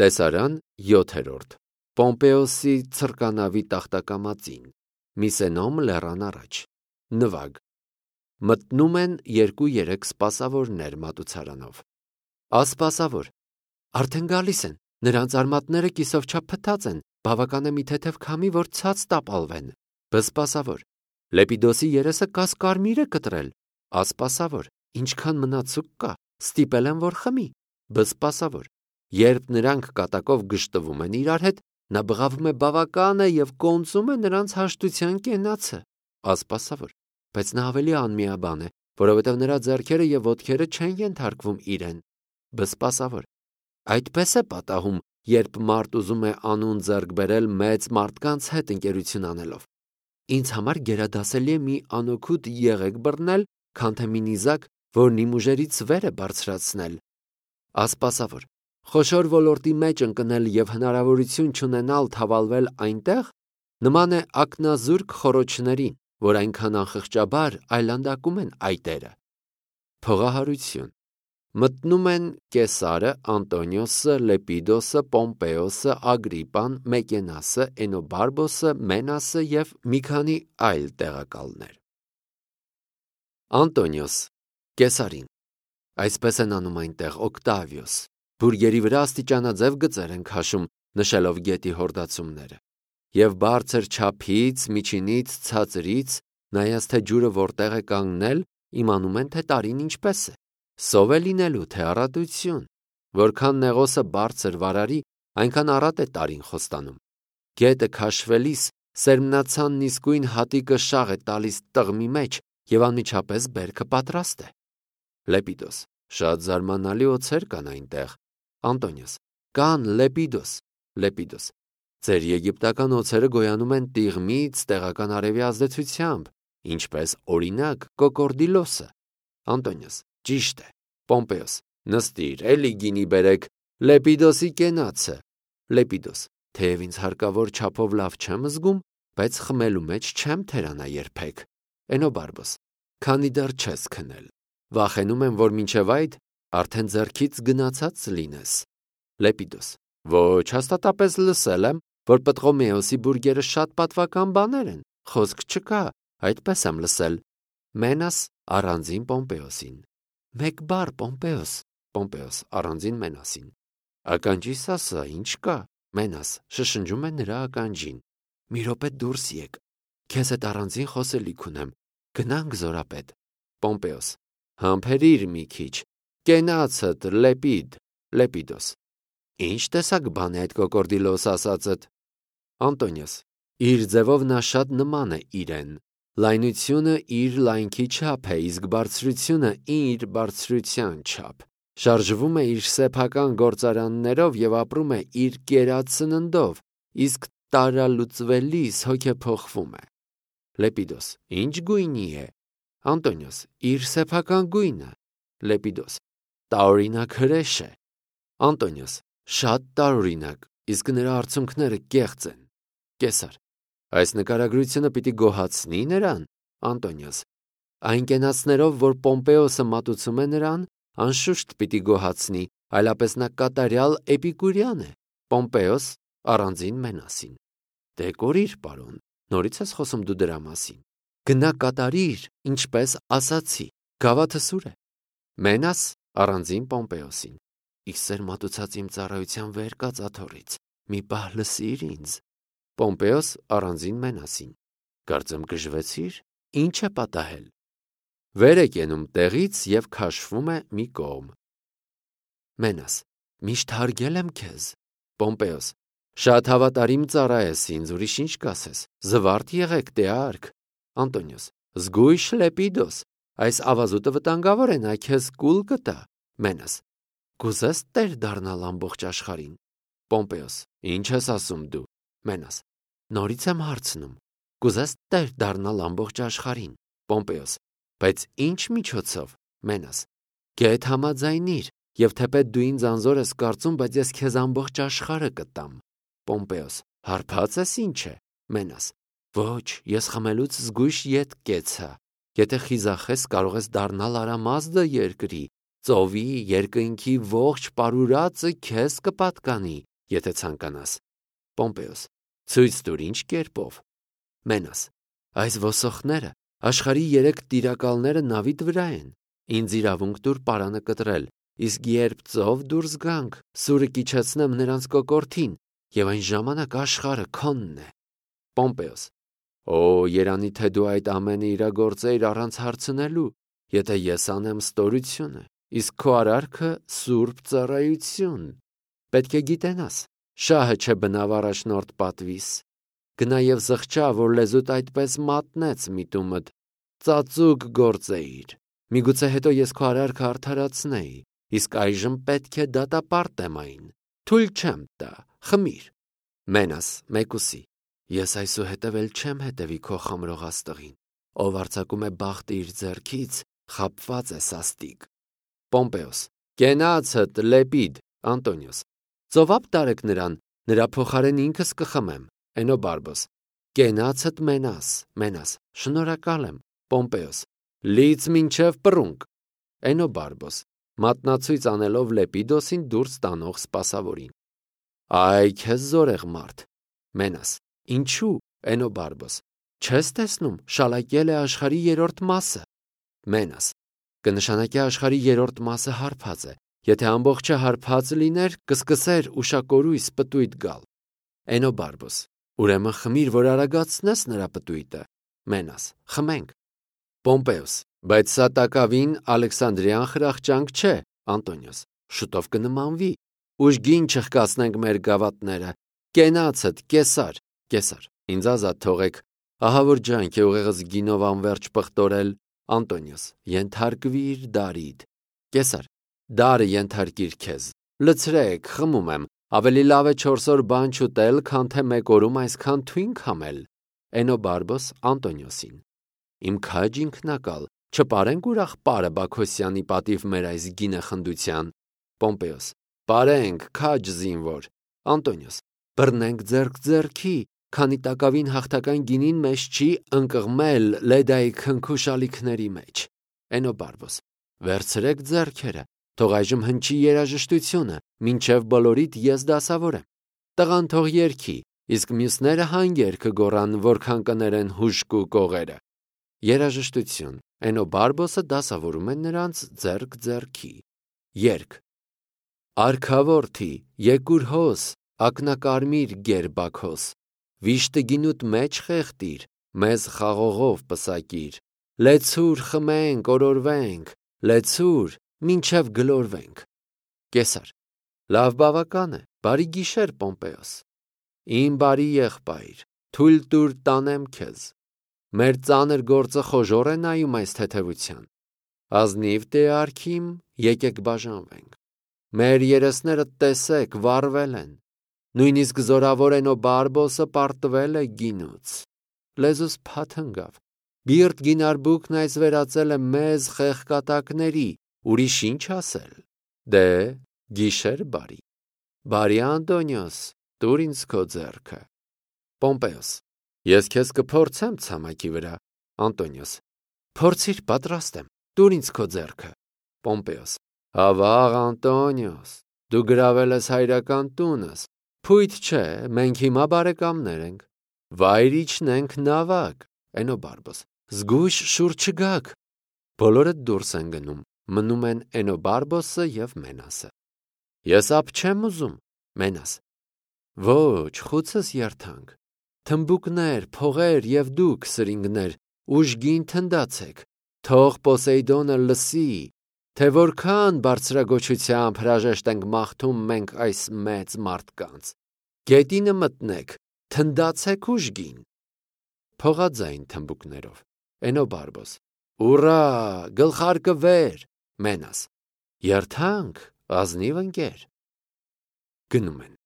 Տեսարան 7-րդ Պոմպեոսի ցրկանավի տախտակամածին, Միսենոմ լեռան առաջ, նվագ, մտնում են 2-3 սպասավորներ մատուցարանով, ասպասավոր, արդեն գալիս են, նրանց արմատները կիսով չափ փտած են, բավական է մի թեթև քամի, որ ցած տապալվեն, բսպասավոր, Լեպիդոսի երեսը կասկարմիր է կտրել, ասպասավոր, ինչքան մնացուկ կա, ստիպել են, որ խմի, բսպասավոր, երբ նրանք կատակով գժտվում են իրար հետ, նա բղավում է բավական է և կոնծում է նրանց հաշտության կենացը, ասպասավոր, բայց նա ավելի անմիաբան է, որովհետև նրա ձեռքերը և ոտքերը չեն ենթարկվում իրեն, բսպասավոր, այդպես է պատահում, երբ մարդ ուզում է անուն ձեռք բերել մեծ մարդկանց հետ ընկերություն անելով, ինձ համար գերադասելի է մի անօգուտ եղեգ բռնել, քան թե մի նիզակ, որն իմ ուժերից վեր է բարձրացնել, ասպասավոր, խոշոր ոլորտի մեջ ընկնել և հնարավորություն չունենալ թավալվել այնտեղ, նման է ակնազուրկ խոռոչներին, որ այնքան անխղճաբար այլանդակում են այտերը, փողահարություն, մտնում են Կեսարը, Անտոնիոսը, Լեպիդոսը, Պոմպեոսը, Ագրիպան, Մեկենասը, Էնոբարբոսը, Մենասը և մի քանի այլ տեղակալներ, Անտոնիոս, Կեսարին, այսպես են անում այնտեղ Օկտավիոս, բուրգերի վրա աստիճանաձև գծեր են քաշում, նշելով գետի հորդացումները, և բարձր չափից, միջինից, ցածրից, նայած թե ջուրը որտեղ է կանգնել, իմանում են, թե տարին ինչպես է, սով է լինելու, թե առատություն, որքան նեղոսը բարձր վարարի, այնքան առատ է տարին խոստանում, գետը քաշվելիս, սերմնացանն իսկույն հատիկը շաղ է տալիս տղմի մեջ և անմիջապես բերքը պատրաստ է, Լեպիդոս, շատ զարմանալի օձեր կան այնտեղ, Անտոնիոս, կան Լեպիդոս, Լեպիդոս, ձեր եգիպտական օձերը գոյանում են տիղմից տեղական արևի ազդեցությամբ, ինչպես օրինակ կոկորդիլոսը, Անտոնիոս, ճիշտ է, Պոմպեոս, նստիր, էլի գինի բերեք, Լեպիդոսի կենացը, Լեպիդոս, թեև ինձ հարկավոր չափով լավ չեմ զգում, բայց խմելու մեջ չեմ թերանա երբեք, Էնոբարբոս, քանի դեռ չես քնել, վախենում եմ, որ մինչև այդ արդեն ձեռքից գնացած լինես, Լեպիդոս, ոչ, հաստատապես լսել եմ, որ Պտղոմեոսի բուրգերը շատ պատվական բաներ են, խոսք չկա, այդպես եմ լսել, Մենաս առանձին Պոմպեոսին, մեկ բառ Պոմպեոս, Պոմպեոս առանձին Մենասին, ականջիս ասա, ինչ կա, Մենաս շշնջում է նրա ականջին, մի րոպե դուրս եկ, քեզ հետ առանձին խոսելիք ունեմ, գնանք զորապետ, Պոմպեոս, համբերիր մի քիչ, կենացդ Լեպիդ, Լեպիդոս, ինչ տեսակ բան է այդ կոկորդիլոս ասածդ, Անտոնիոս, իր ձևով նա շատ նման է իրեն, լայնությունը իր լայնքի չափ է, իսկ բարձրությունը իր բարձրության չափ, շարժվում է իր սեփական գործարաններով և ապրում է իր կերած սննդով, իսկ տարալուծվելիս հոգեփոխվում է, Լեպիդոս, ինչ գույնի է, Անտոնիոս, իր սեփական գույնը, Լեպիդոս, տարօրինակ հրեշ է, Անտոնիոս, շատ տարօրինակ, իսկ նրա արցունքները կեղծ են, Կեսար, այս նկարագրությունը պիտի գոհացնի նրան, Անտոնիոս, այն կենացներով, որ Պոմպեոսը մատուցում է նրան, անշուշտ պիտի գոհացնի, այլապես նա կատարյալ էպիկուրյան է, Պոմպեոս առանձին Մենասին, դե կորիր պարոն, նորից ես խոսում դու դրա մասին, գնա կատարիր, ինչպես ասացի, գավաթը սուր է, Մենաս առանձին Պոմպեոսին, իքսեր մատուցած իմ ծառայության վեր կաց աթոռից, մի պահ լսիր ինձ, Պոմպեոս առանձին Մենասին, կարծեմ գժվեցիր, ինչ է պատահել, վեր է կենում տեղից և քաշվում է մի կողմ, Մենաս, միշտ հարգել եմ քեզ, Պոմպեոս, շատ հավատարիմ ծառա ես ինձ, ուրիշ ինչ կասես, զվարթ եղեք տեարք, Անտոնիոս, զգույշ Լեպիդոս, այս ավազուտը վտանգավոր է, նա քեզ կուլ կտա, Մենաս, կուզես տեր դառնալ ամբողջ աշխարհին, Պոմպեոս, ինչ ես ասում դու, Մենաս, նորից եմ հարցնում, կուզես տեր դառնալ ամբողջ աշխարհին, Պոմպեոս, բայց ինչ միջոցով, Մենաս, գեթ համաձայնիր, և թեպետ դու ինձ անզոր ես կարծում, բայց ես քեզ ամբողջ աշխարհը կտամ, Պոմպեոս, հարբած ես ինչ է, Մենաս, ոչ, ես խմելուց զգույշ ետ կեցա, եթե խիզախես կարող ես դառնալ արամազդը երկրի, ծովի, երկնքի ողջ պարուրածը քեզ կպատկանի, եթե ցանկանաս։ Պոմպեոս. Ցույց տուր ինչ կերպով։ Մենաս. Այս ոսոխները, աշխարհի 3 տիրակալները նավիդ վրա են։ Ինձ իրավունք տուր պարանը կտրել, իսկ երբ ծով դուրս գանք, սուրը կիչեցնեմ նրանց կոկորդին, եւ այն ժամանակ աշխարհը քոնն է։ Պոմպեոս. Օ, երանի թե դու այդ ամենը իրագործեիր առանց հարցնելու, եթե ես անեմ ստորությունը, իսկ քո արարքը սուրբ ծառայություն։ Պետք է գիտենաս, շահը չէ բնավ առաջնորդ պատվիս։ Գնա եւ զղջա, որ լեզուդ այդպես մատնեց միտումդ, ծածուկ գործեիր։ Միգուցե հետո ես քո արարքը արդարացնեի, իսկ այժմ պետք է դատապարտեմ այն։ Թույլ չեմ տա, խմիր։ Մենաս, մեկուսի. Ես այսուհետև էլ չեմ հետևի քո խմրող աստղին, ով արձակում է բախտը իր ձեռքից, խաբված է սաստիկ։ Պոմպեոս. Կենացդ, Լեպիդ, Անտոնիոս. Ծովապ տարեք նրան, նրա փոխարեն ինքս կխմեմ։ Էնոբարբոս. Կենացդ Մենաս, շնորհակալ եմ։ Պոմպեոս. Լից մինչև պռունգ։ Էնոբարբոս. Մատնացույց անելով Լեպիդոսին դուրս տանող սպասավորին։ Այ քեզ զորեղ մարդ։ Մենաս. Ինչու։ Էնոբարբոս. Չես տեսնում, շալակել է աշխարհի 3-րդ մասը։ Մենաս. Կնշանակի աշխարհի 3-րդ մասը հարբած է։ Եթե ամբողջը հարբած լիներ, կսկսեր ուշակորույս պտույտ գալ։ Էնոբարբոս. Ուրեմն խմիր, որ արագացնես նրա պտույտը։ Մենաս. Խմենք։ Պոմպեոս. Բայց սա տակավին Ալեքսանդրիան խրախճանք չէ։ Անտոնիոս. Շուտով կնմանվի։ Ուժգին չխկացնենք մեր գավաթները։ Կենացդ, Կեսար, ինձ ազատ թողեք։ Ահա որ ջանք է ուղեղս գինով անվերջ պղտորել։ Անտոնիոս. Ենթարկվիր Դարիդ։ Կեսար. Դարը ենթարկիր քեզ։ Լցրեք, խմում եմ։ Ավելի լավ է 4 օր բան չուտել, քան թե 1 օրում այսքան թույն քամել։ Էնոբարբոս Անտոնիոսին. Իմ քաջ ինքնակալ, չպարենք ուրախ պարը Բաքոսյանի պատիվ մեր այս գինը խնդության։ Պոմպեոս. Պարենք, քաջ զինվոր։ Անտոնիոս. Բռնենք ձեռք ձեռքի, քանի տակավին հաղթական գինին մեզ չի ընկղմել Լեդայի քնքուշալիքների մեջ։ Էնոբարբոս. Վերցրեք ձեռքերը, թող այժմ հնչի երաժշտությունը, մինչև բոլորիդ ես դասավոր եմ։ Տղան թող երգի, իսկ մյուսները հանգեր կգոռան, որքան կներեն հուժկու կողերը։ Երաժշտություն։ Էնոբարբոսը դասավորում է նրանց ձեռք ձեռքի։ Երգ։ Արքավորթի, եկուր հոս, ակնակարմիր գերբաքոս, վիշտը գինուտ մեջ խեղտիր, մեզ խաղողով պսակիր, լեցուր խմենք, օրորվենք, լեցուր, մինչև գլորվենք։ Կեսար. Լավ բավական է, բարի գիշեր Պոմպեոս։ Իմ բարի եղբայր, թույլ տուր տանեմ քեզ։ Մեր ծանր գործը խոժոր է նայում այս թեթևության։ Ազնիվ Տեարքիմ, եկեք բաժանվենք։ Մեր երեսները տեսեք, վառվել են։ Նույնիսկ զորավոր Էնոբարբոսը պարտվել է գինուց։ Լեզուս փաթնգավ։ Բիրտ գինարբուկն այս վերածել է մեզ խեղկատակների, ուրիշ ինչ ասել։ Դե, գիշեր բարի։ Բարի Անտոնիոս, տուր ինձ քո ձեռքը։ Պոմպեոս. Ես քեզ կփորձեմ ցամաքի վրա։ Անտոնիոս. Փորձիր, պատրաստ եմ, տուր ինձ քո ձեռքը։ Պոմպեոս. Ավաղ Անտոնիոս, դու գրավել ես հայրական տունս։ Փույթ չէ, մենք հիմա բարեկամներ ենք։ Վայր իջնենք նավակ։ Էնոբարբոս. Զգույշ շուր չգաք։ Բոլորը դուրս են գնում, մնում են Էնոբարբոսը եւ Մենասը։ Ես ափ չեմ ուզում։ Մենաս. Ոչ, խուցս երթանք։ Թմբուկներ, փողեր եւ դուք, սրինգներ, ուժգին թնդացեք։ Թող Պոսեյդոնը լսի, թե որքան բարձրագոչությամբ հրաժեշտ ենք մաղթում մենք այս մեծ մարդկանց։ Գետինը մտնեք, թնդացեք ուժգին։ Փողաձայն թմբուկներով։ Էնոբարբոս. Ուռա, գլխարկը վեր։ Մենաս. Երթանք, ազնիվ ընկեր։ Գնում են։